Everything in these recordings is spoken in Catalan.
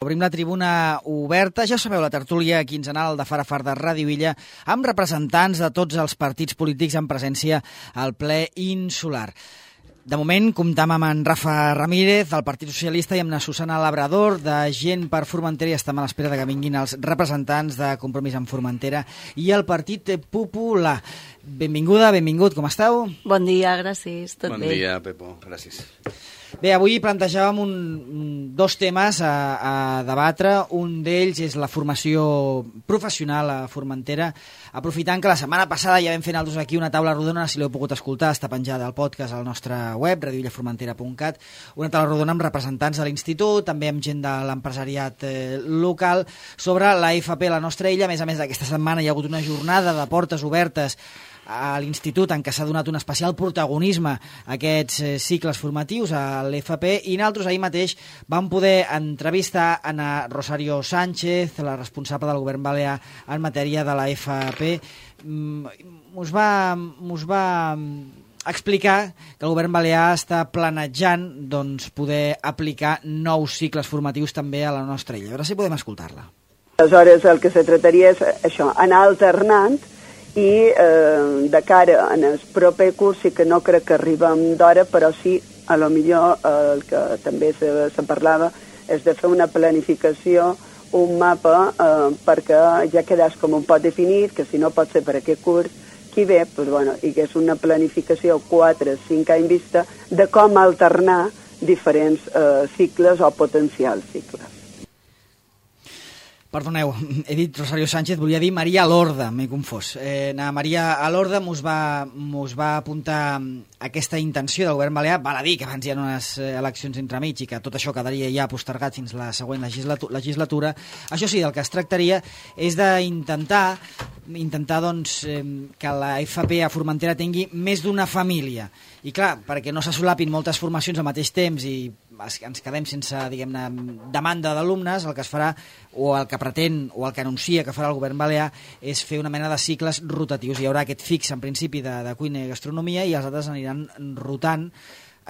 Obrim la tribuna oberta, ja sabeu, la tertúlia quinzenal de Far a Far de Ràdio Illa, amb representants de tots els partits polítics en presència al ple insular. De moment, comptam amb en Rafa Ramírez, del Partit Socialista, i amb la Susana Labrador, de Gent per Formentera, i estem a l'espera de que vinguin els representants de Compromís amb Formentera i el Partit Popular. Benvinguda, benvingut, com esteu? Bon dia, gràcies, tot bé. Bon dia, Pepo, gràcies. Bé, avui plantejàvem dos temes a debatre. Un d'ells és la formació professional a Formentera, aprofitant que la setmana passada ja vam fer nosaltres aquí una taula rodona, si l'heu pogut escoltar, està penjada al podcast al nostre web, radioillaformentera.cat, una taula rodona amb representants de l'Institut, també amb gent de l'empresariat local, sobre la FP a la nostra illa. A més aquesta setmana hi ha hagut una jornada de portes obertes a l'Institut en què s'ha donat un especial protagonisme a aquests cicles formatius a l'FP, i nosaltres ahir mateix vam poder entrevistar a Rosario Sánchez, la responsable del govern balear en matèria de la FP. Us va explicar que el govern balear està planejant poder aplicar nous cicles formatius també a la nostra illa. A veure si podem escoltar-la. Aleshores el que se trataria és això, anar alternant, i de cara en el proper curs sí que no crec que arribem d'hora, però sí, a lo millor el que també se parlava és de fer una planificació, un mapa, perquè ja quedàs com un pot definit, que si no pot ser per aquest curs, qui ve, doncs, bueno, i que és una planificació 4-5 anys vista de com alternar diferents cicles o potencials cicles. Perdoneu, he dit Rosario Sánchez, volia dir Maria Lorda, m'he confós. Maria Lorda mos va apuntar aquesta intenció del govern balear. Val a dir que abans hi ha unes eleccions entremig i que tot això quedaria ja postergat fins la següent legislatura. Això sí, del que es tractaria és d'intentar que la FP a Formentera tingui més d'una família. I clar, perquè no se solapin moltes formacions al mateix temps i ens quedem sense, diguem-ne, demanda d'alumnes, el que es farà, o el que pretén, o el que anuncia que farà el govern balear, és fer una mena de cicles rotatius. Hi haurà aquest fix, en principi, de cuina i gastronomia, i els altres aniran rotant.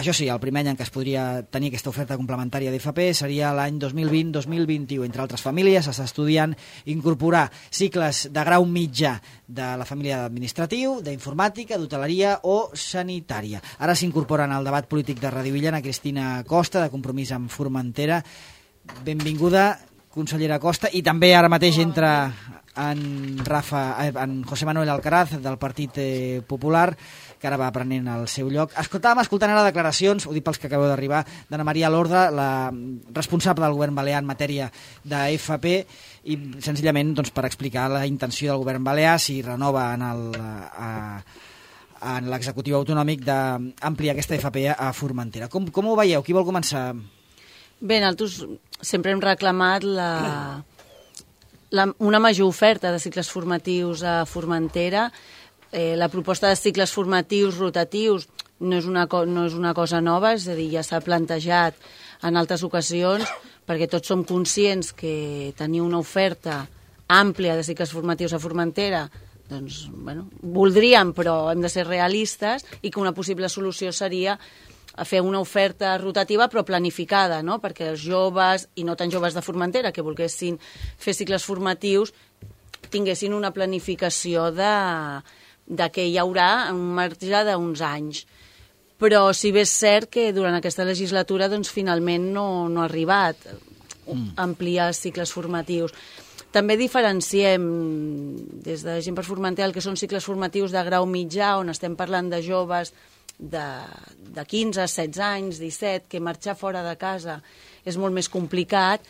Això sí, el primer any en què es podria tenir aquesta oferta complementària d'FP seria l'any 2020-2021. Entre altres famílies s'està estudiant incorporar cicles de grau mitjà de la família d'administratiu, d'informàtica, d'hoteleria o sanitària. Ara s'incorporen al debat polític de Ràdio Illa Cristina Costa, de Compromís amb Formentera. Benvinguda, consellera Costa, i també ara mateix entra en José Manuel Alcaraz, del Partit Popular, que ara va prenent el seu lloc. Escoltant ara declaracions, ho dic pels que acabeu d'arribar, d'Anna Maria Lorda, la responsable del govern balear en matèria de FP, i senzillament per explicar la intenció del govern balear, si renova en l'executiu autonòmic d'ampliar aquesta FP a Formentera. Com ho veieu? Qui vol començar? Bé, nosaltres sempre hem reclamat una major oferta de cicles formatius a Formentera. La proposta de cicles formatius rotatius no és una cosa nova, és a dir, ja s'ha plantejat en altres ocasions, perquè tots som conscients que tenir una oferta àmplia de cicles formatius a Formentera, doncs, bueno, voldríem, però hem de ser realistes, i que una possible solució seria fer una oferta rotativa però planificada, no? Perquè els joves, i no tan joves de Formentera, que volguessin fer cicles formatius, tinguessin una planificació de que hi haurà un marge d'uns anys. Però si bé és cert que durant aquesta legislatura finalment no ha arribat ampliar cicles formatius. També diferenciem des de Gent per Formentera el que són cicles formatius de grau mitjà, on estem parlant de joves de 15, 16 anys, 17, que marxar fora de casa és molt més complicat,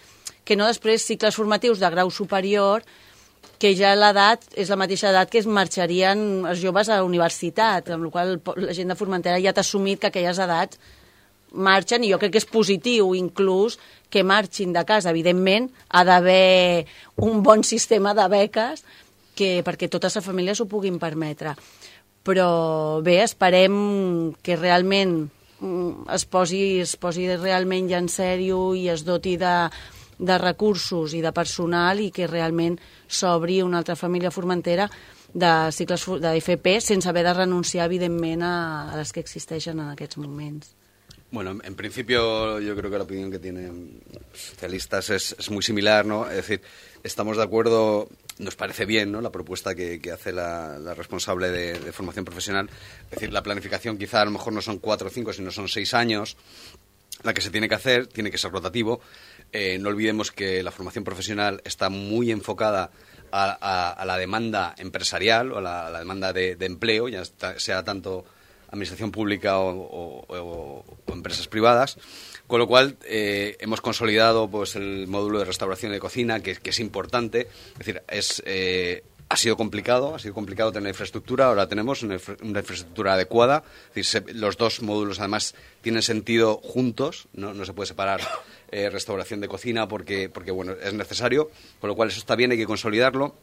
que no després cicles formatius de grau superior, que ja l'edat és la mateixa edat que es marxarien els joves a la universitat, amb la qual la gent de Formentera ja t'ha assumit que aquelles edats marxen, i jo crec que és positiu inclús que marxin de casa. Evidentment, ha d'haver un bon sistema de beques perquè totes les famílies ho puguin permetre. Però bé, esperem que realment es posi realment ja en sèrio i es doti de recursos i de personal, i que realment s'obri una altra família a Formentera de cicles d'FP sense haver de renunciar, evidentment, a les que existeixen en aquests moments. Bueno, en principio yo creo que la opinión que tienen los socialistas es muy similar, ¿no? Es decir, estamos de acuerdo, nos parece bien, ¿no?, la propuesta que hace la responsable de formación profesional. Es decir, la planificación quizá a lo mejor no son 4 o 5, sino son 6 años. La que se tiene que hacer tiene que ser rotativo. No olvidemos que la formación profesional está muy enfocada a la demanda empresarial o a la demanda de empleo, ya sea tanto administración pública o empresas privadas, con lo cual hemos consolidado pues el módulo de restauración de cocina, que es importante. Es decir, ha sido complicado tener infraestructura, ahora tenemos una infraestructura adecuada. Es decir, los dos módulos además tienen sentido juntos, no se puede separar restauración de cocina porque bueno, es necesario, con lo cual eso está bien, hay que consolidarlo.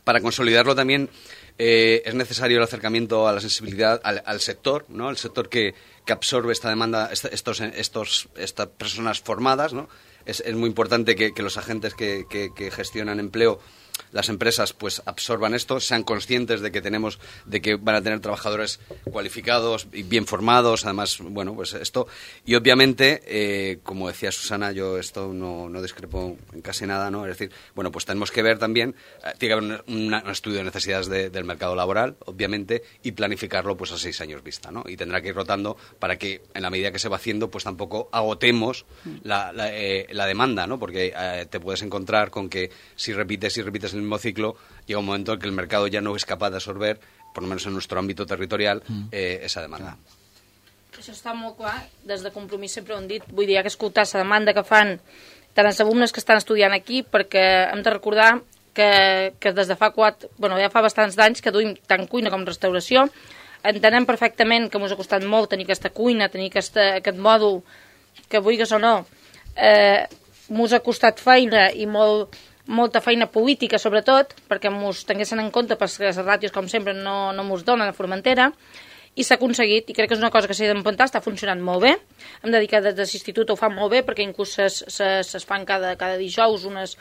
Para consolidarlo también es necesario el acercamiento a la sensibilidad al sector, ¿no? El sector que absorbe esta demanda, estas personas formadas, ¿no? Es muy importante que los agentes que gestionan empleo, las empresas, pues absorban esto, sean conscientes de que van a tener trabajadores cualificados y bien formados, además, bueno, pues esto. Y obviamente, como decía Susana, yo esto no discrepo en casi nada, ¿no? Es decir, bueno, pues tenemos que ver también, tiene que haber un estudio de necesidades del mercado laboral, obviamente, y planificarlo pues a 6 años vista, ¿no? Y tendrá que ir rotando para que, en la medida que se va haciendo, pues tampoco agotemos la demanda, ¿no? Porque te puedes encontrar con que si repites el mismo ciclo, llega un momento en que el mercado ja no és capaç d'absorber, por lo menos en nuestro ámbito territorial, esa demanda. Això està molt clar, des de Compromís sempre ho hem dit, vull dir, que escoltar la demanda que fan tant els alumnes que estan estudiant aquí, perquè hem de recordar que des de ja fa bastants d'anys que duim tant cuina com restauració, entenem perfectament que ens ha costat molt tenir aquesta cuina, tenir aquest mòdul, que vulguis o no, ens ha costat feina i molta feina política, sobretot, perquè ens tinguessin en compte, perquè les ràtios, com sempre, no ens donen a Formentera, i s'ha aconseguit, i crec que és una cosa que s'ha d'empentar, està funcionant molt bé. Hem de dir que des de l'institut ho fan molt bé, perquè inclús es fan cada dijous unes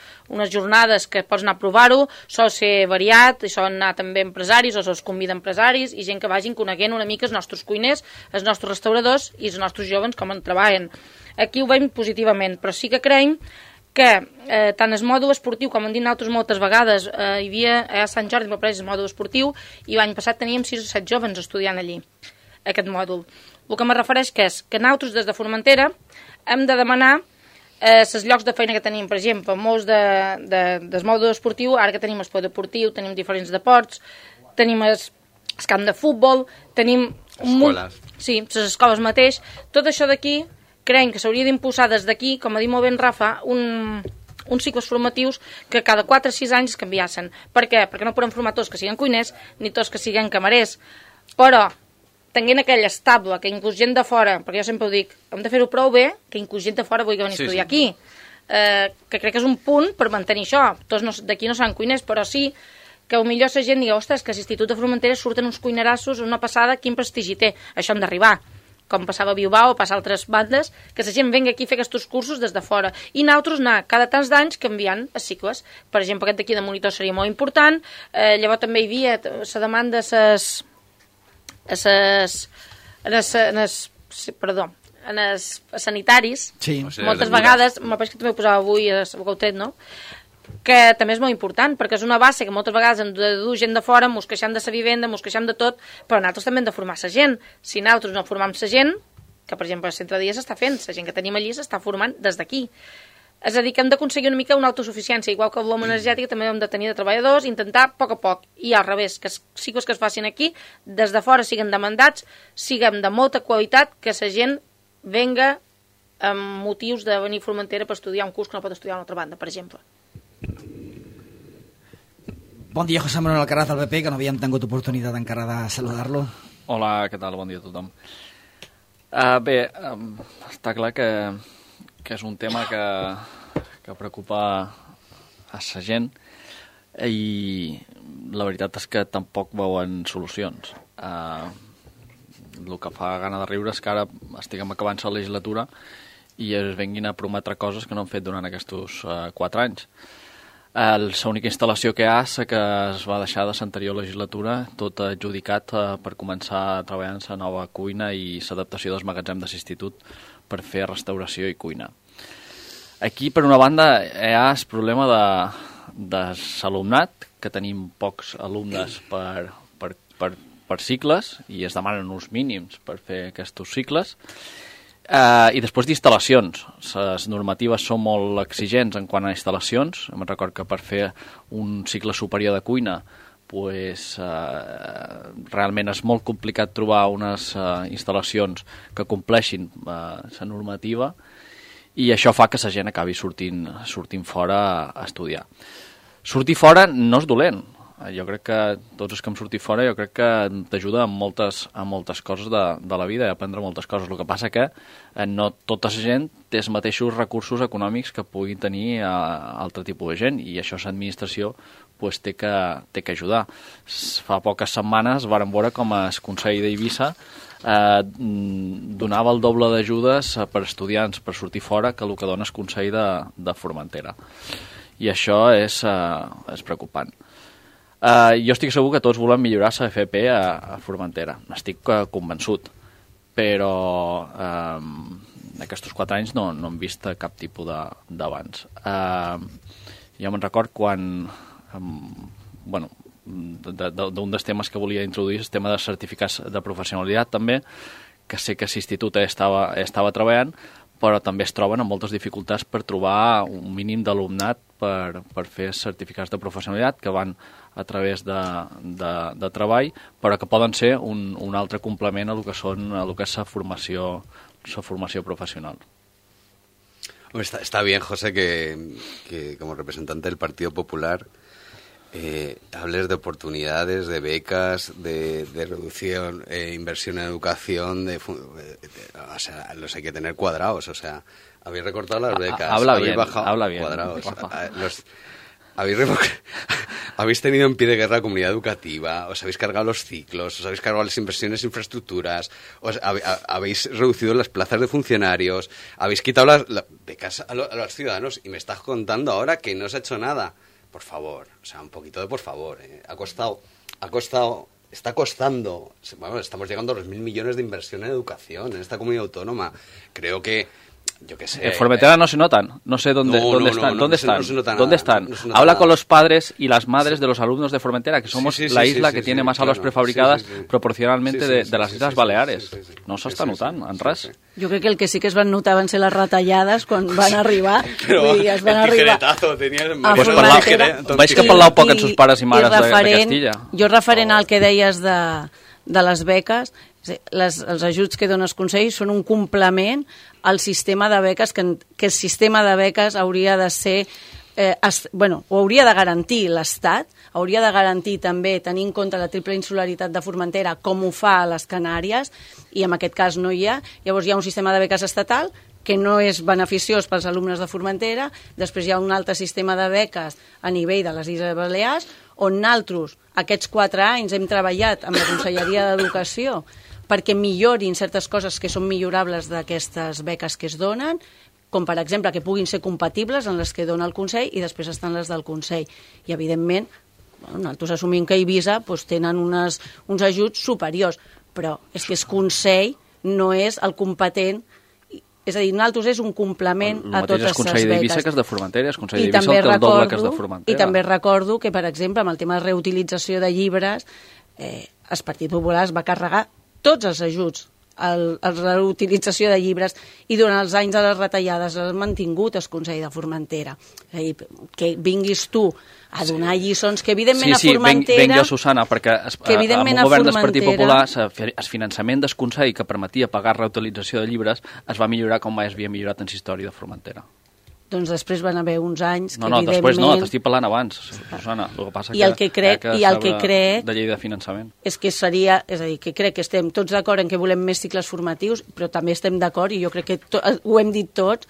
jornades que pots anar a provar-ho, sol ser variat, i solen anar també empresaris, o se'ls convida empresaris, i gent que vagin coneguent una mica els nostres cuiners, els nostres restauradors i els nostres joves com en treballen. Aquí ho veiem positivament, però sí que creiem que tant el mòdul esportiu, com hem dit nosaltres moltes vegades, hi havia a Sant Jordi el mòdul esportiu, i l'any passat teníem 6 o 7 jovens estudiant allí, aquest mòdul. El que me refereix és que nosaltres des de Formentera hem de demanar els llocs de feina que tenim. Per exemple, molts del mòdul esportiu, ara que tenim el polideportiu, tenim diferents deports, tenim el camp de futbol, tenim escoles. Sí, les escoles mateix. Tot això d'aquí creiem que s'hauria d'impulsar des d'aquí, com ha dit molt bé en Rafa, uns cicles formatius que cada 4 o 6 anys es canviassen. Per què? Perquè no podem formar tots que siguin cuiners ni tots que siguin camarers. Però, tenint aquell estable, que inclús gent de fora, perquè jo sempre ho dic, hem de fer-ho prou bé, que inclús gent de fora vulgui venir a estudiar aquí. Que crec que és un punt per mantenir això. Tots d'aquí no seran cuiners, però sí que potser la gent digui, ostres, que a l'Institut de Formentera surten uns cuinerassos, una passada, quin prestigi té. Això hem d'arribar. Com passava a Bilbao o passa a altres bandes, que la gent venga aquí a fer aquests cursos des de fora. I nosaltres anar cada tants d'anys canviant els cicles. Per exemple, aquest d'aquí de monitor seria molt important. Llavors també hi havia la demanda en els sanitaris. Sí. Moltes vegades, me pareix que també ho posava avui a Gautet, no?, que també és molt important, perquè és una base que moltes vegades hem de dur gent de fora, ens queixem de la vivenda, ens queixem de tot, però nosaltres també hem de formar la gent. Si nosaltres no formam la gent, que per exemple el centre de dia s'està fent, la gent que tenim allí s'està formant des d'aquí. És a dir, que hem d'aconseguir una mica una autosuficiència, igual que el l'home energètic també hem de tenir de treballadors, intentar a poc a poc, i al revés, que els cicles que es facin aquí, des de fora siguin demandats, siguem de molta qualitat, que la gent venga amb motius de venir a Formentera per estudiar un curs que no pot estudiar a una altra banda, per exemple. Bon dia, José Manuel Alcaraz del PP, que no havíem tingut oportunitat encara de saludar-lo. Hola, què tal? Bon dia a tothom. Està clar que és un tema que preocupa a la gent i la veritat és que tampoc veuen solucions. El que fa gana de riure és que ara estiguem acabant la legislatura i es venguin a prometre coses que no han fet durant aquests 4 anys. L'única instal·lació que hi ha és que es va deixar de l'anterior legislatura, tot adjudicat per començar a treballar en la nova cuina i l'adaptació dels magatzems de l'institut per fer restauració i cuina. Aquí, per una banda, hi ha el problema de l'alumnat, que tenim pocs alumnes per cicles i es demanen uns mínims per fer aquests cicles. I després d'instal·lacions. Les normatives són molt exigents en quant a instal·lacions. Em recordo que per fer un cicle superior de cuina realment és molt complicat trobar unes instal·lacions que compleixin la normativa i això fa que la gent acabi sortint fora a estudiar. Sortir fora no és dolent. Jo crec que tots els que hem sortit fora jo crec que t'ajuda a moltes coses de la vida i a aprendre moltes coses. El que passa que no tota la gent té els mateixos recursos econòmics que puguin tenir altre tipus de gent i això l'administració té que ajudar. Fa poques setmanes vàrem veure com el Consell d'Eivissa donava el doble d'ajudes per estudiants per sortir fora que el que dona el Consell de Formentera. I això és preocupant. Jo estic segur que tots volem millorar la FP a Formentera. N'estic convençut. Però aquests 4 anys no hem vist cap tipus d'avanç. Jo me'n record quan... d'un dels temes que volia introduir és el tema de certificats de professionalitat també, que sé que l'institut estava treballant, però també es troben amb moltes dificultats per trobar un mínim d'alumnat per fer certificats de professionalitat que van a través de treball, però que poden ser un altre complement a lo que és la formació professional. Está bien, José, que como representante del Partido Popular hables de oportunidades, de becas, de reducción, inversión en educación, o sea, los hay que tener cuadrados, o sea, habéis recortado las becas, habéis bajado cuadrados, habéis tenido en pie de guerra la comunidad educativa, os habéis cargado los ciclos, os habéis cargado las inversiones en infraestructuras, habéis reducido las plazas de funcionarios, habéis quitado las becas a los ciudadanos y me estás contando ahora que no se ha hecho nada. Por favor, o sea, un poquito de por favor. Está costando. Bueno, estamos llegando a los 1.000 millones de inversión en educación en esta comunidad autónoma. Creo que, yo qué sé... En Formentera no se notan. No sé dónde están. ¿Dónde están? Habla con los padres y las madres de los alumnos de Formentera, que somos la isla que tiene más aules prefabricadas proporcionalmente de las Islas Baleares. No s'està notant, en res. Jo crec que el que sí que es van notar van ser les retallades quan van arribar. Però el tijeretazo tenies... Vaig que parlau poc amb sus pares i mares de Castilla. Jo referent al que deies de les beques, els ajuts que dona el Consell són un complement al sistema de beques, que el sistema de beques hauria de ser... ho hauria de garantir l'Estat, hauria de garantir també tenir en compte la triple insularitat de Formentera com ho fa a les Canàries, i en aquest cas no hi ha. Llavors hi ha un sistema de beques estatal que no és beneficiós pels alumnes de Formentera, després hi ha un altre sistema de beques a nivell de les Illes Balears, on nosaltres aquests 4 anys hem treballat amb la Conselleria d'Educació perquè millorin certes coses que són millorables d'aquestes beques que es donen, com per exemple que puguin ser compatibles amb les que dona el Consell i després estan les del Consell. I evidentment, nosaltres assumim que a Eivissa tenen uns ajuts superiors, però és que el Consell no és el competent, és a dir, nosaltres és un complement a totes les beques. El mateix és Consell d'Eivissa que és de Formentera, el Consell d'Eivissa té el doble que és de Formentera. I també recordo que, per exemple, amb el tema de reutilització de llibres, el Partit Popular es va carregar tots els ajuts a la reutilització de llibres i durant els anys de les retallades l'ha mantingut el Consell de Formentera. És a dir, que vinguis tu a donar lliçons, que evidentment a Formentera... Venc jo, Susana, perquè amb el govern del Partit Popular el finançament del Consell que permetia pagar reutilització de llibres es va millorar com mai es havia millorat en la història de Formentera. Doncs després van haver uns anys que evidentment... No, després no, t'estic parlant abans, Susana. El que passa que crec de llei de finançament. És que seria, és a dir, que crec que estem tots d'acord en que volem més cicles formatius, però també estem d'acord, i jo crec que ho hem dit tots,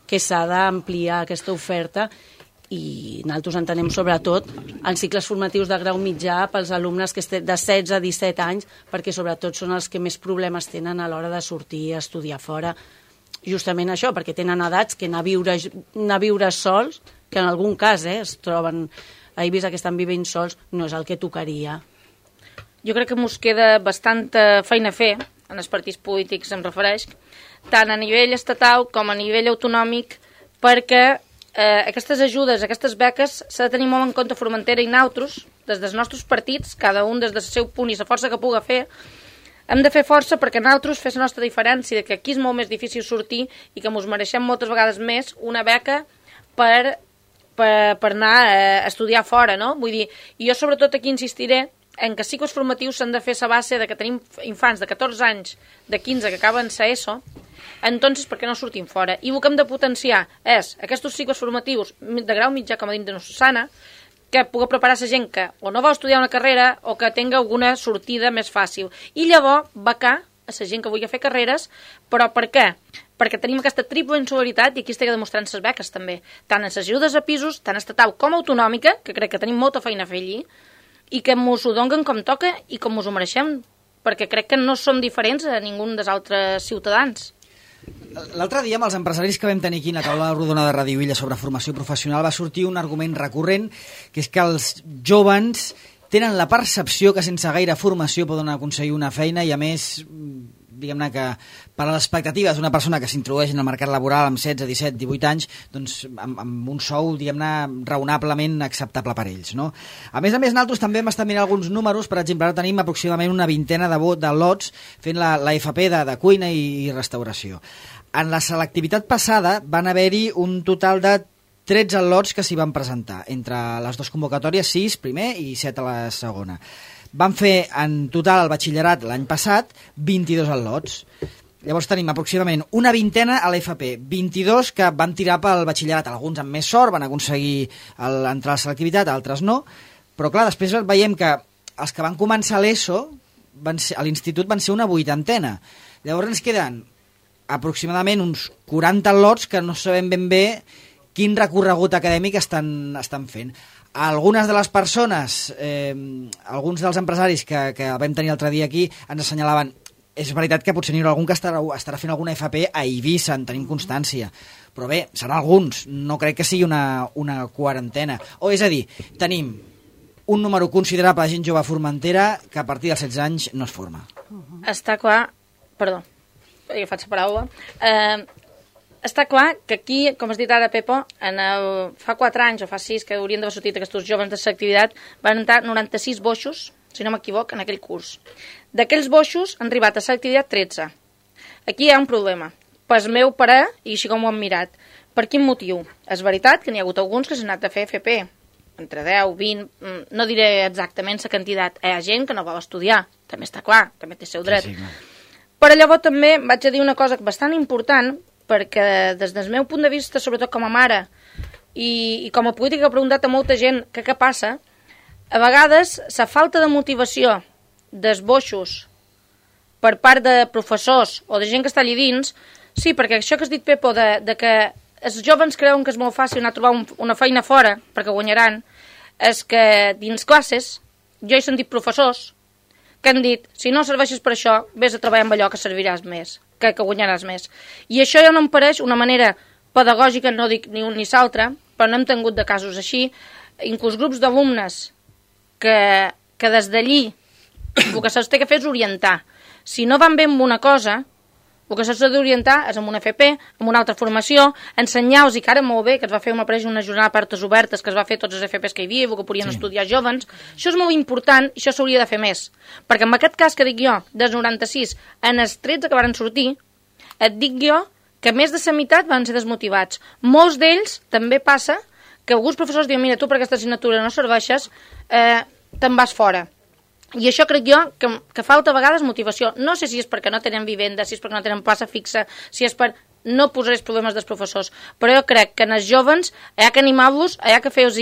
que s'ha d'ampliar aquesta oferta, i nosaltres entenem sobretot en cicles formatius de grau mitjà pels alumnes que de 16 a 17 anys, perquè sobretot són els que més problemes tenen a l'hora de sortir a estudiar fora. Justament això, perquè tenen edats que anar a viure sols que en algun cas es troben a Eivissa que estan vivint sols, no és el que tocaria. Jo crec que mos queda bastanta feina a fer en els partits polítics, em refereix, tant a nivell estatal com a nivell autonòmic, perquè aquestes ajudes, aquestes beques, s'ha de tenir molt en compte Formentera i nosaltres, des dels nostres partits, cada un des del seu punt i la força que puga fer, hem de fer força perquè nosaltres fes la nostra diferència, que aquí és molt més difícil sortir i que ens mereixem moltes vegades més una beca per anar a estudiar fora, no? Vull dir, jo sobretot aquí insistiré en que cicles formatius s'han de fer a base de que tenim infants de 14 anys, de 15 que acaben sa ESO, entonces per què no sortim fora? I el que hem de potenciar és aquests cicles formatius de grau mitjà, com a dit de Susana, que pugui preparar la gent que o no vol estudiar una carrera o que tenga alguna sortida més fàcil. I llavors becar a la gent que vulgui fer carreres, però per què? Perquè tenim aquesta triple insolidaritat i aquí estic demostrant les beques també, tant en les ajudes a pisos, tant estatal com autonòmica, que crec que tenim molta feina a fer allí, i que mos ho donen com toca i com mos ho mereixem, perquè crec que no som diferents a ningú dels altres ciutadans. L'altre dia, amb els empresaris que vam tenir aquí a la taula rodona de Radio Illa sobre formació professional, va sortir un argument recurrent, que és que els jóvens tenen la percepció que sense gaire formació poden aconseguir una feina i, a més, diguem-ne que per a les expectatives d'una persona que s'introdueix en el mercat laboral amb 16, 17, 18 anys, doncs amb un sou, diguem-ne, raonablement acceptable per ells, no? A més, nosaltres també hem estat mirant alguns números. Per exemple, ara tenim aproximadament una vintena de lots fent la FP de cuina i restauració. En la selectivitat passada van haver-hi un total de 13 lots que s'hi van presentar, entre les dues convocatòries, 6 primer i 7 a la segona. Van fer en total el batxillerat l'any passat 22 al·lots. Llavors tenim aproximadament una vintena a l'FP, 22 que van tirar pel batxillerat, alguns amb més sort van aconseguir entrar a la selectivitat, altres no, però clar, després veiem que els que van començar l'ESO a l'institut van ser una 80ena. Llavors ens queden aproximadament uns 40 al·lots que no sabem ben bé quin recorregut acadèmic estan fent. Algunes de les persones, alguns dels empresaris que vam tenir l'altre dia aquí, ens assenyalaven, és veritat que potser n'hi haurà algun que estarà fent alguna FP a Eivissa, en tenim constància, però bé, seran alguns, no crec que sigui una quarantena. O és a dir, tenim un número considerable de gent jove a Formentera que a partir dels 16 anys no es forma. Està clar, perdó, he agafat la paraula, està clar que aquí, com has dit ara, Pepo, fa 4 anys o fa 6 que haurien d'haver sortit aquests joves de l'activitat, van entrar 96 boixos, si no m'equivoc, en aquell curs. D'aquells boixos han arribat a l'activitat 13. Aquí hi ha un problema. Pel meu parer, i així com ho hem mirat, per quin motiu? És veritat que n'hi ha hagut alguns que s'han anat a fer FP, entre 10, 20, no diré exactament la quantitat. Hi ha gent que no vol estudiar, també està clar, també té el seu dret. Però llavors també vaig a dir una cosa bastant important, perquè des del meu punt de vista, sobretot com a mare, i com a política que he preguntat a molta gent que què passa, a vegades la falta de motivació dels boixos per part de professors o de gent que està allà dins, sí, perquè això que has dit, Pepo, de que els joves creuen que és molt fàcil anar a trobar una feina fora, perquè guanyaran, és que dins classes jo he sentit professors que han dit, si no serveixes per això, vés a treballar amb allò que serviràs més, que guanyaràs més. I això ja no em pareix una manera pedagògica, no dic ni un ni l'altre, però no hem tingut de casos així, inclús grups d'alumnes que des d'allí el que se'ls té que fer és orientar. Si no van bé amb una cosa, el que se'ls ha d'orientar és amb una FP, amb una altra formació, ensenyar-los, i que ara molt bé, que es va fer una jornada de portes obertes, que es va fer tots els FPs que hi havia, que podien estudiar jovens, això és molt important i això s'hauria de fer més. Perquè en aquest cas que dic jo, dels 96, en els 13 que van sortir, et dic jo que més de la meitat van ser desmotivats. Molts d'ells també passa que alguns professors diuen, mira, tu per aquesta assignatura no serveixes, te'n vas fora. I això crec jo que falta a vegades motivació. No sé si és perquè no tenen vivenda, si és perquè no tenen plaça fixa, si és per... No posaré els problemes dels professors, però jo crec que en els jovens hi ha que animar-los, hi ha que fer-los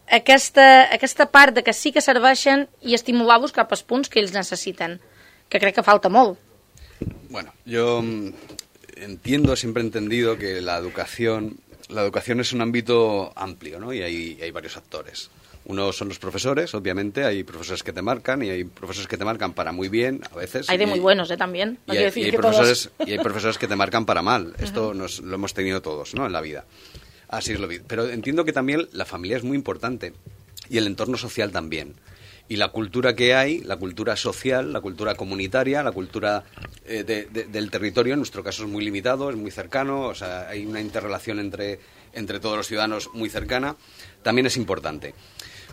aquesta part de que sí que serveixen i estimular-los cap als punts que ells necessiten, que crec que falta molt. Bueno, yo entiendo, siempre he entendido que la educación es un ámbito amplio, ¿no? Y hay varios actores. Uno son los profesores, obviamente, hay profesores que te marcan y hay profesores que te marcan para muy bien, a veces. Hay de muy buenos, también. No y hay profesores que te marcan para mal. Esto lo hemos tenido todos, ¿no?, en la vida. Así es lo vi. Pero entiendo que también la familia es muy importante y el entorno social también. Y la cultura que hay, la cultura social, la cultura comunitaria, la cultura del territorio, en nuestro caso es muy limitado, es muy cercano, o sea, hay una interrelación entre todos los ciudadanos muy cercana, también es importante.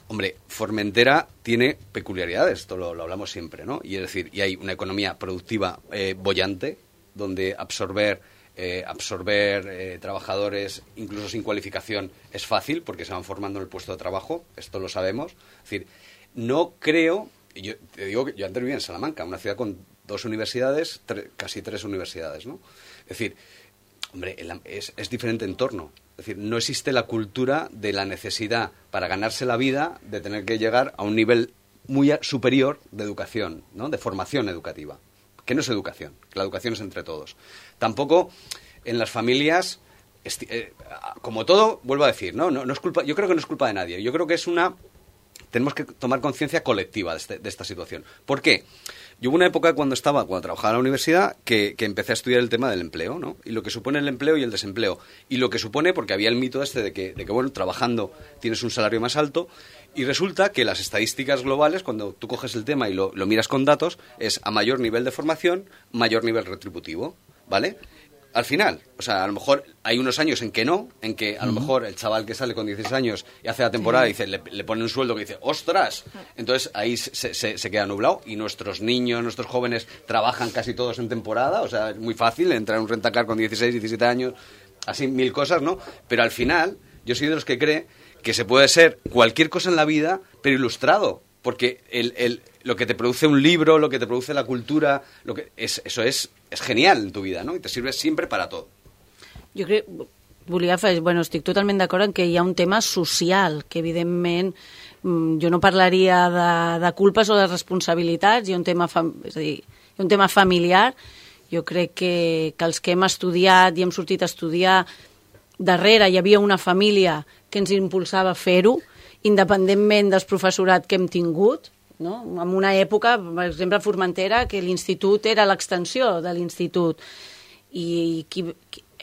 Hombre, Formentera tiene peculiaridades, esto lo hablamos siempre, ¿no? Y es decir, y hay una economía productiva boyante, donde absorber trabajadores, incluso sin cualificación, es fácil, porque se van formando en el puesto de trabajo, esto lo sabemos. Es decir, no creo, yo te digo que yo antes vivía en Salamanca, una ciudad con 2 universidades, casi 3 universidades, ¿no? Es decir, hombre, es diferente entorno. Es decir, no existe la cultura de la necesidad para ganarse la vida de tener que llegar a un nivel muy superior de educación, ¿no? De formación educativa, que no es educación, que la educación es entre todos. Tampoco en las familias, como todo, vuelvo a decir, no es culpa, yo creo que no es culpa de nadie, yo creo que tenemos que tomar conciencia colectiva de esta situación. ¿Por qué? Yo hubo una época cuando trabajaba en la universidad que empecé a estudiar el tema del empleo, ¿no? Y lo que supone el empleo y el desempleo. Y lo que supone, porque había el mito de que bueno, trabajando tienes un salario más alto, y resulta que las estadísticas globales, cuando tú coges el tema y lo miras con datos, es a mayor nivel de formación, mayor nivel retributivo, ¿vale? Al final, o sea, a lo mejor hay unos años en que a lo mejor el chaval que sale con 16 años y hace la temporada y le pone un sueldo que dice ¡ostras! Entonces ahí se queda nublado y nuestros niños, nuestros jóvenes trabajan casi todos en temporada, o sea, es muy fácil entrar en un rentacar con 16, 17 años, así 1000 cosas, ¿no? Pero al final, yo soy de los que cree que se puede ser cualquier cosa en la vida, pero ilustrado, porque lo que te produce un libro, lo que te produce la cultura, eso es genial en tu vida, ¿no? Y te sirve sempre para tot. Jo crec, estic totalment d'acord en que hi ha un tema social, que evidentment jo no parlaria de culpes o de responsabilitats, hi ha un tema, és a dir, hi ha un tema familiar. Jo crec que els que hem estudiat i hem sortit a estudiar, darrere hi havia una família que ens impulsava a fer-ho, independentment del professorat que hem tingut, no? En una època, per exemple, a Formentera, que l'institut era l'extensió de l'institut. I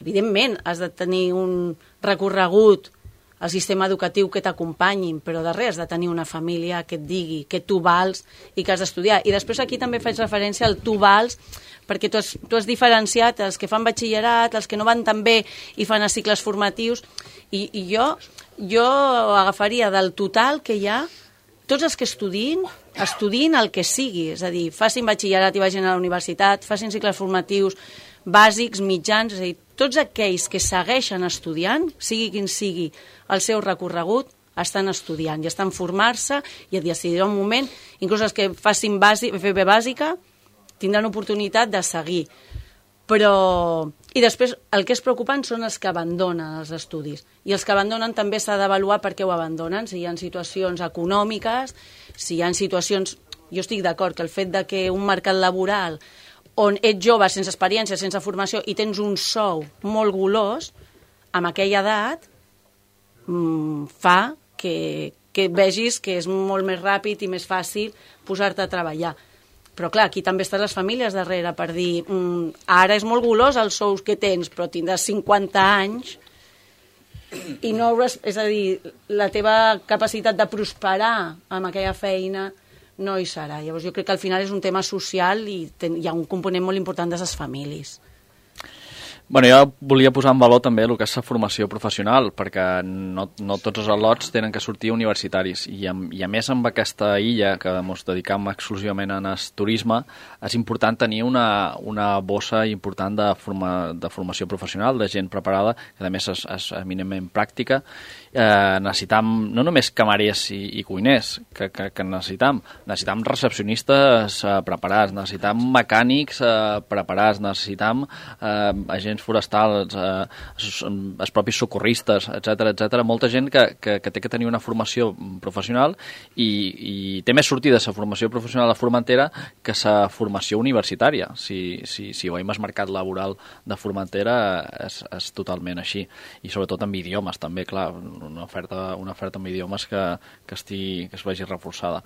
evidentment has de tenir un recorregut al sistema educatiu que t'acompanyin, però darrere has de tenir una família que et digui que tu vals i que has d'estudiar. I després aquí també faig referència al tu vals, perquè tu has diferenciat els que fan batxillerat, els que no van tan bé i fan els cicles formatius, i jo agafaria del total que hi ha, tots els que estudin el que sigui, és a dir, facin batxillerat i vagin a la universitat, facin cicles formatius bàsics, mitjans, és a dir, tots aquells que segueixen estudiant, sigui quin sigui el seu recorregut, estan estudiant i estan formant-se i a decidir un moment, inclús els que facin FP bàsica, tindran oportunitat de seguir. Però... I després el que és preocupant són els que abandonen els estudis. I els que abandonen també s'ha d'avaluar per què ho abandonen, si hi ha situacions econòmiques, si hi ha situacions... Jo estic d'acord que el fet de que un mercat laboral on ets jove, sense experiència, sense formació, i tens un sou molt golós, amb aquella edat, fa que vegis que és molt més ràpid i més fàcil posar-te a treballar. Però clar, aquí també estan les famílies darrere per dir ara és molt golós els sous que tens, però tindràs 50 anys i no hauràs... És a dir, la teva capacitat de prosperar amb aquella feina no hi serà. Llavors jo crec que al final és un tema social i hi ha un component molt important de les famílies. Bueno, jo volia posar en valor també el que és la formació professional, perquè no tots els al·lots tenen que sortir universitaris. I a més, amb aquesta illa que ens dedicam exclusivament al turisme, és important tenir una bossa important de formació professional, de gent preparada, que a més és eminentment pràctica. Necessitam no només camarers i cuiners, que necessitam recepcionistes preparats, necessitam mecànics preparats, necessitam agents forestals, els propis socorristes, etc. Molta gent que té que tenir una formació professional i té més sortida la formació professional a Formentera que la formació universitària. Si veiem el mercat laboral de Formentera és totalment així. I sobretot amb idiomes també, clar, una oferta amb idiomes que es vegi reforçada.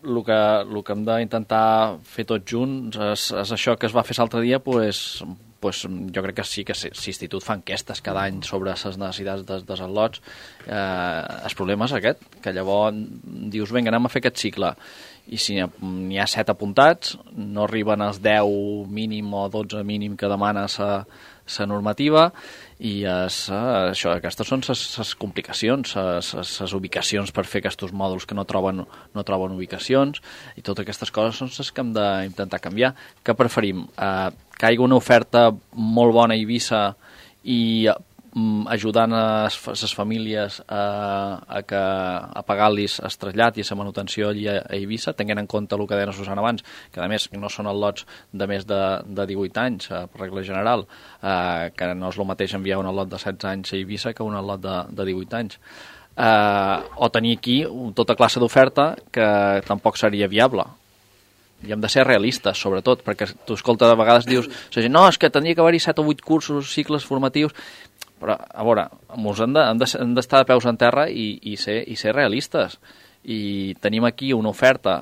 El que hem d'intentar fer tots junts és això que es va fer l'altre dia, pues, jo crec que sí que l'Institut fa enquestes cada any sobre les necessitats dels al·lots. El problema és aquest, que llavors dius, vinga, anem a fer aquest cicle, i si n'hi ha 7 apuntats, no arriben als 10 mínim o 12 mínim que demana la normativa, i aquestes són les complicacions, les ubicacions per fer aquests mòduls que no troben ubicacions, i totes aquestes coses són les que hem d'intentar canviar. Què preferim? Que hi hagi una oferta molt bona a Eivissa i ajudant les famílies a pagar-los el trasllat i la manutenció allí a Eivissa, tenint en compte el que deia Susana abans, que a més no són al·lots de més de 18 anys, per regla general, que no és el mateix enviar un al·lot de 16 anys a Eivissa que un al·lot de 18 anys. O tenir aquí tota classe d'oferta que tampoc seria viable. I hem de ser realistes, sobretot, perquè tu escoltes, a vegades dius, no, és que tindria que haver-hi 7 o 8 cursos, cicles formatius, però, a veure, hem d'estar de peus en terra i ser realistes. I tenim aquí una oferta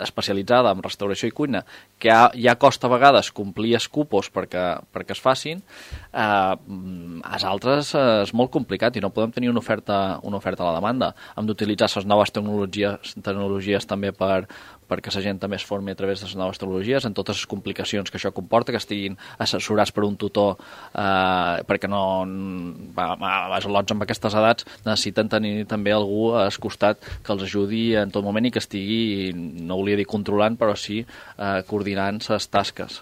especialitzada en restauració i cuina, que ja costa a vegades complir els cupos perquè es facin. Els altres és molt complicat i no podem tenir una oferta a la demanda. Hem d'utilitzar les noves tecnologies també perquè la gent també es formi a través de les noves tecnologies, en totes les complicacions que això comporta, que estiguin assessorats per un tutor, perquè els al·lots amb aquestes edats necessiten tenir també algú al costat que els ajudi en tot moment i que estigui, no volia dir controlant, però sí coordinant les tasques.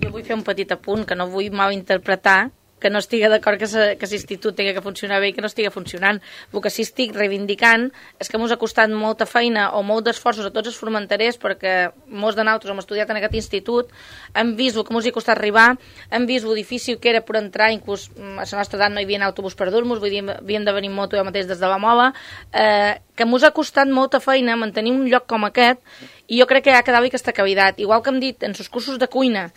Jo vull fer un petit apunt, que no vull malinterpretar que no estigui d'acord que l'institut tingui que funcionar bé i que no estigui funcionant. El que sí estic reivindicant és que ens ha costat molta feina o molt d'esforços a tots els formenterers, perquè molts de nosaltres hem estudiat en aquest institut, hem vist el que ens ha costat arribar, hem vist el difícil que era per entrar, inclús a la nostra edat no hi havia autobús per dur-nos, vull dir, havíem de venir en moto jo mateix des de la Mola, que ens ha costat molta feina mantenir un lloc com aquest, i jo crec que ja quedava aquesta cavitat. Igual que hem dit en els cursos de cuina,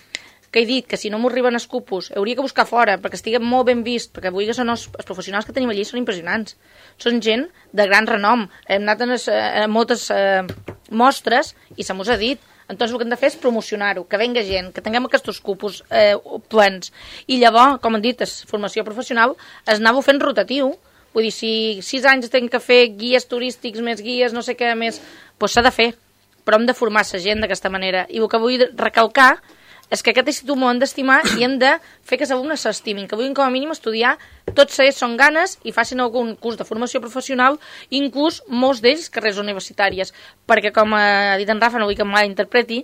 que he dit que si no m'ho arriben els cupos hauria que buscar fora perquè estigui molt ben vist, perquè avui que són els professionals que tenim allí són impressionants, són gent de gran renom, hem anat a moltes mostres i se m'ho ha dit. Entonces el que hem de fer és promocionar-ho, que venga gent, que tinguem aquests cupos plens, i llavors, com han dit, formació professional es anava fent rotatiu. Vull dir, si 6 anys tenen que fer guies turístics, més guies, no sé què més, doncs s'ha de fer, però hem de formar la gent d'aquesta manera. I el que vull recalcar és que aquest institut m'ho han d'estimar i hem de fer que els alumnes s'estimin, que vulguin com a mínim estudiar, tots ells són ganes i facin algun curs de formació professional, inclús molts d'ells carreres universitàries, perquè com ha dit en Rafa, no vull que em malinterpreti,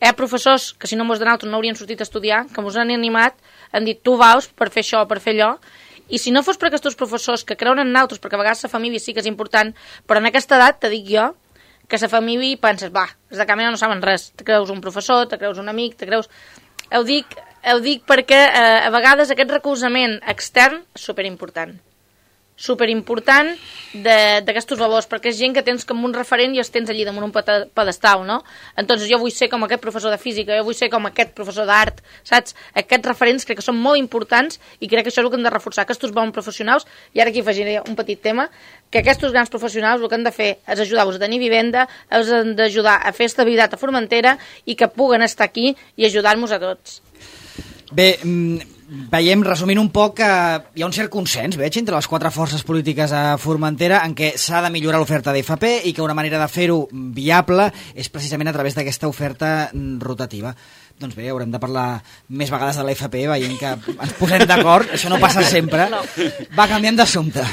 hi ha professors que si no molts de nosaltres no haurien sortit a estudiar, que ens han animat, han dit tu vals per fer això, per fer allò, i si no fos per aquests professors que creuen en nosaltres, perquè a vegades la família sí que és important, però en aquesta edat, te dic jo, que la família penses, els de Camina no saben res, te creus un professor, te creus un amic, te creus... Ho dic perquè a vegades aquest recolzament extern és superimportant d'aquests valors, perquè és gent que tens com un referent i els tens allí damunt un pedestal, no? Entonces jo vull ser com aquest professor de física, jo vull ser com aquest professor d'art, saps? Aquests referents crec que són molt importants i crec que això és el que hem de reforçar, aquests bons professionals, i ara aquí afegiré un petit tema, que aquests grans professionals el que han de fer és ajudar-vos a tenir vivenda, els han d'ajudar a fer estabilitat a Formentera i que puguen estar aquí i ajudar-nos a tots. Bé, veiem, resumint un poc, que hi ha un cert consens, veig, entre les 4 forces polítiques a Formentera en què s'ha de millorar l'oferta d'FP i que una manera de fer-ho viable és precisament a través d'aquesta oferta rotativa. Doncs bé, haurem de parlar més vegades de l'FP, veient que ens posem d'acord, això no passa sempre. Va canviant d'assumpte.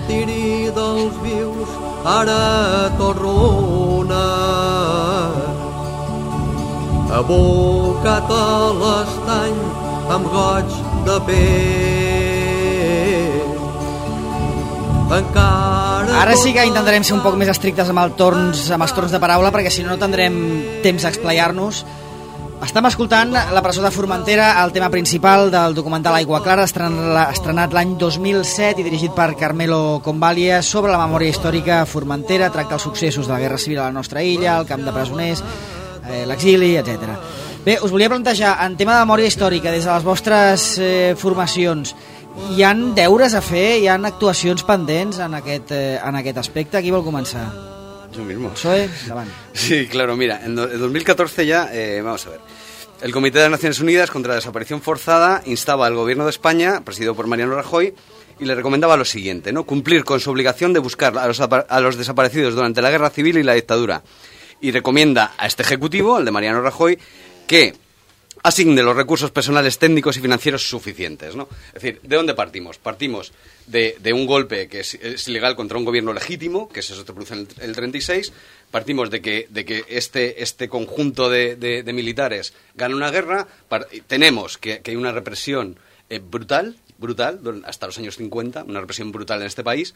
Tiri dels vius, ara torrona, abocat a l'estany amb goig de pell. Ara sí que intentarem ser un poc més estrictes amb els torns de paraula, perquè si no tindrem temps d'explayar-nos. Estem escoltant La presó de Formentera, el tema principal del documental Aigua Clara, estrenat l'any 2007 i dirigit per Carmelo Convalia, sobre la memòria històrica a Formentera. Tracta els successos de la Guerra Civil a la nostra illa, el camp de presoners, l'exili, etc. Bé, us volia plantejar, en tema de memòria històrica, des de les vostres formacions, hi han deures a fer, hi han actuacions pendents en aquest aspecte? Qui vol començar? Yo mismo. Soy, davant. Sí, claro, mira, en 2014 ya, vamos a ver, El Comité de las Naciones Unidas contra la Desaparición Forzada instaba al Gobierno de España, presidido por Mariano Rajoy, y le recomendaba lo siguiente, ¿no? Cumplir con su obligación de buscar a los desaparecidos durante la Guerra Civil y la dictadura. Y recomienda a este Ejecutivo, al de Mariano Rajoy, que asigne los recursos personales, técnicos y financieros suficientes, ¿no? Es decir, ¿de dónde partimos? Partimos de un golpe que es ilegal contra un gobierno legítimo, que eso se produce en el 36. Partimos de que este conjunto de militares gana una guerra. Tenemos que hay una represión brutal hasta los años 50, una represión brutal en este país.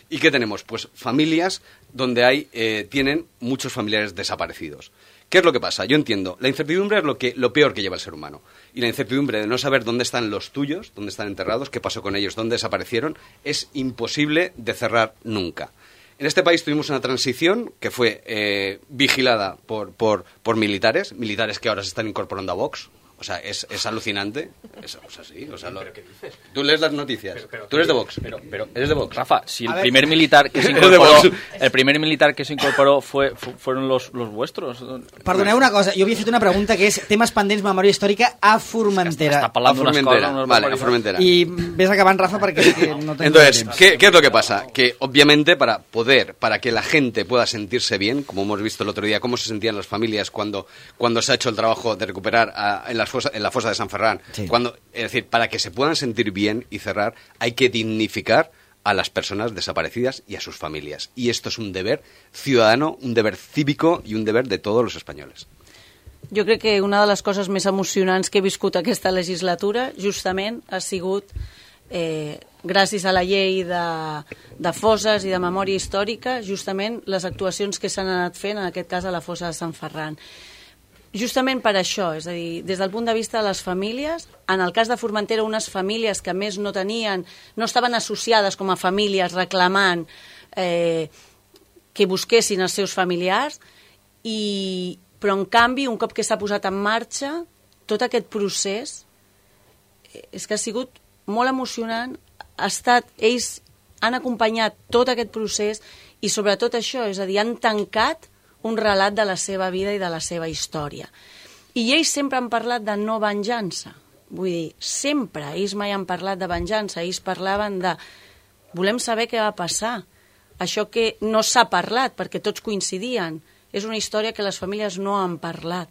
¿Y qué tenemos? Pues familias donde tienen muchos familiares desaparecidos. ¿Qué es lo que pasa? Yo entiendo, la incertidumbre es lo peor que lleva el ser humano. Y la incertidumbre de no saber dónde están los tuyos, dónde están enterrados, qué pasó con ellos, dónde desaparecieron, es imposible de cerrar nunca. En este país tuvimos una transición que fue vigilada por militares que ahora se están incorporando a Vox. O sea, es alucinante. Sí. O sea, ¿Pero qué dices? Tú lees las noticias. Tú eres de Vox. Pero, eres de Vox. Rafa, si el primer militar que se incorporó, fueron los vuestros. Perdoneu una cosa, jo havia fet una pregunta que és temes pendents memòria històrica a Formentera. Està parlant d'una escola. Vale, a Formentera. Y ves acabant, Rafa, porque no tengo Entonces, tiempo. ¿qué es lo que pasa? Que obviamente para que la gente pueda sentirse bien, como hemos visto el otro día, cómo se sentían las familias cuando se ha hecho el trabajo de recuperar en la fosa de San Ferran, sí. Es decir, para que se puedan sentir bien y cerrar, hay que dignificar a las personas desaparecidas y a sus familias. Y esto es un deber ciudadano, un deber cívico y un deber de todos los españoles. Jo crec que una de les coses més emocionants que he viscut aquesta legislatura justament ha sigut gràcies a la llei de fosses i de memòria històrica, justament les actuacions que s'han anat fent, en aquest cas a la fossa de Sant Ferran. Justament per això, és a dir, des del punt de vista de les famílies, en el cas de Formentera, unes famílies que a més no estaven associades com a famílies reclamant que busquessin els seus familiars, però en canvi, un cop que s'ha posat en marxa, tot aquest procés és que ha sigut molt emocionant, ells han acompanyat tot aquest procés i sobretot això, és a dir, han tancat un relat de la seva vida i de la seva història. I ells sempre han parlat de no venjança. Vull dir, sempre. Ells mai han parlat de venjança. Ells parlaven de volem saber què va passar. Això que no s'ha parlat, perquè tots coincidien. És una història que les famílies no han parlat.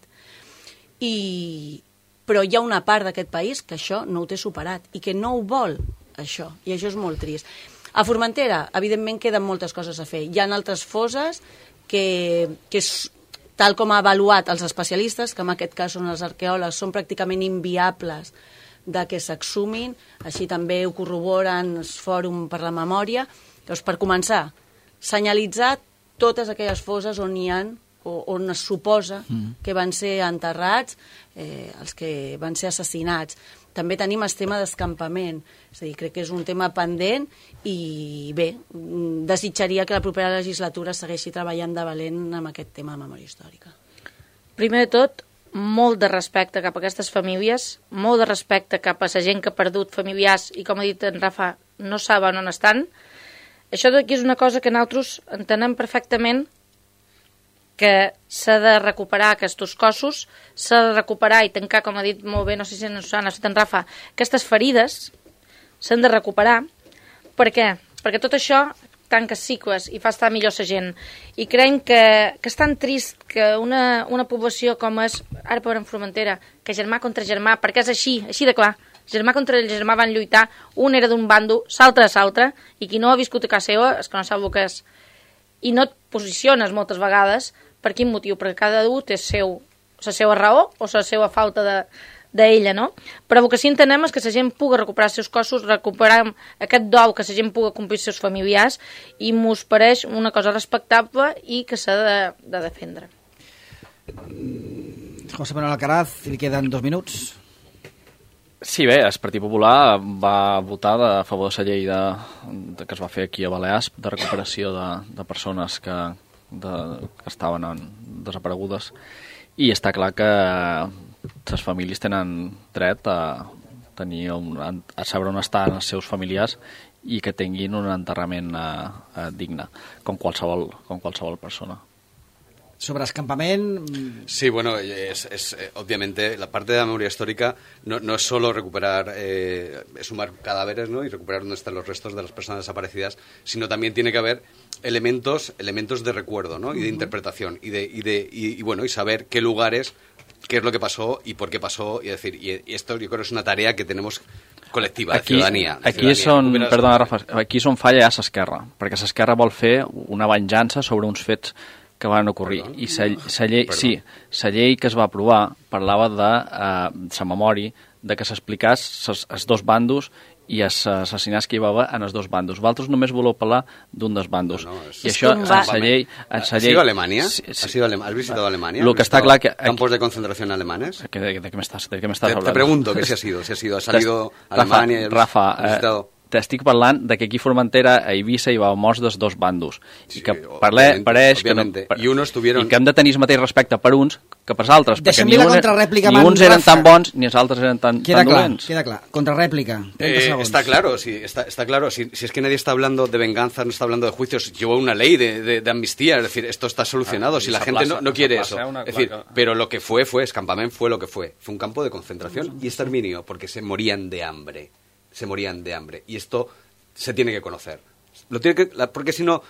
Però hi ha una part d'aquest país que això no ho té superat i que no ho vol, això. I això és molt trist. A Formentera, evidentment, queden moltes coses a fer. Hi ha altres fosses que tal com ha avaluat els especialistes, que en aquest cas són els arqueòlegs, són pràcticament inviables de que s'exhumin, així també ho corroboren el Fòrum per la Memòria. Doncs, per començar, senyalitzar totes aquelles fosses on hi ha, on es suposa que van ser enterrats els que van ser assassinats. També tenim el tema d'escampament, és a dir, crec que és un tema pendent i bé, desitjaria que la propera legislatura segueixi treballant de valent amb aquest tema de memòria històrica. Primer de tot, molt de respecte cap a aquestes famílies, molt de respecte cap a la gent que ha perdut familiars i, com ha dit en Rafa, no saben on estan. Això d'aquí és una cosa que nosaltres entenem perfectament, que s'ha de recuperar aquests cossos, s'ha de recuperar i tancar, com ha dit molt bé, no sé si en Susana, si en Rafa, aquestes ferides s'han de recuperar. Per què? Perquè tot això tanca cicles i fa estar millor la gent. I creiem que és tan trist que una població com és, ara per en Formentera, que germà contra germà, perquè és així de clar, germà contra germà van lluitar, un era d'un bando, l'altre de l'altre, i qui no ha viscut a casa seva és que no sap el que és. I no et posiciones moltes vegades. Per quin motiu? Perquè cada un té la seva raó o la seva falta d'ella, no? Però el que sí entenem és que la gent pugui recuperar els seus cossos, recuperar aquest dol, que la gent pugui complir els seus familiars, i mos pareix una cosa respectable i que s'ha de defendre. José Manuel Alcaraz, li queden 2 minuts. Sí, bé, el Partit Popular va votar a favor de la llei que es va fer aquí a Balears de recuperació de persones que estaven desaparegudes, i està clar que les famílies tenen dret a saber on estan els seus familiars i que tinguin un enterrament digne, com qualsevol persona. sobre escampament... Sí, bueno, obviamente la parte de la memoria histórica no es solo recuperar, sumar cadáveres, ¿no? Y recuperar dónde están los restos de las personas desaparecidas, sino también tiene que haber elementos de recuerdo, ¿no? Y de interpretación y bueno, y saber qué lugares, qué es lo que pasó y por qué pasó, y decir, y esto yo creo que es una tarea que tenemos colectiva, de ciutadania. Aquí és on, perdona, Rafa, aquí és on falla ja s'Esquerra, perquè s'Esquerra vol fer una venjança sobre uns fets que van ocorrir. I la llei que es va aprovar parlava de la memòria, de que s'explicàs els dos bandos i els assassinats que hi va haver en els dos bandos. Vosaltres només voleu parlar d'un dels bandos. I això, en la llei... ¿Has ido a Alemania? ¿Has visitado Alemania? Lo que está claro que... ¿Campos de concentración alemanes? ¿De qué me estás hablando? Te pregunto que si has ido. ¿Has salido a Alemania? Rafa, t'estic parlant de que aquí a Formentera, a Eivissa, hi va morts dels dos bandos. I que pareix que no... I que hem de tenir el mateix respecte per uns que per altres, perquè ni uns eren tan bons ni els altres eren tan dolents. Queda clar. Contrarréplica. Está claro, sí, está claro. Si es que nadie está hablando de venganza, no está hablando de juicios, llevó una ley de amnistía, es decir, esto está solucionado. Si la gente no quiere eso. Es decir, pero lo que fue, Escampament fue lo que fue. Fue un campo de concentración y exterminio, porque se morían de hambre. Y esto se tiene que conocer. Porque si no,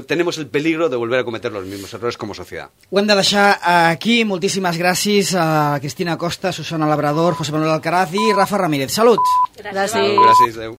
tenemos el peligro de volver a cometer los mismos errores como sociedad. Ho hem de deixar aquí. Moltíssimes gràcies a Cristina Costa, Susana Labrador, José Manuel Alcaraz i Rafa Ramírez. Salut! Gràcies. Gràcies, adeu.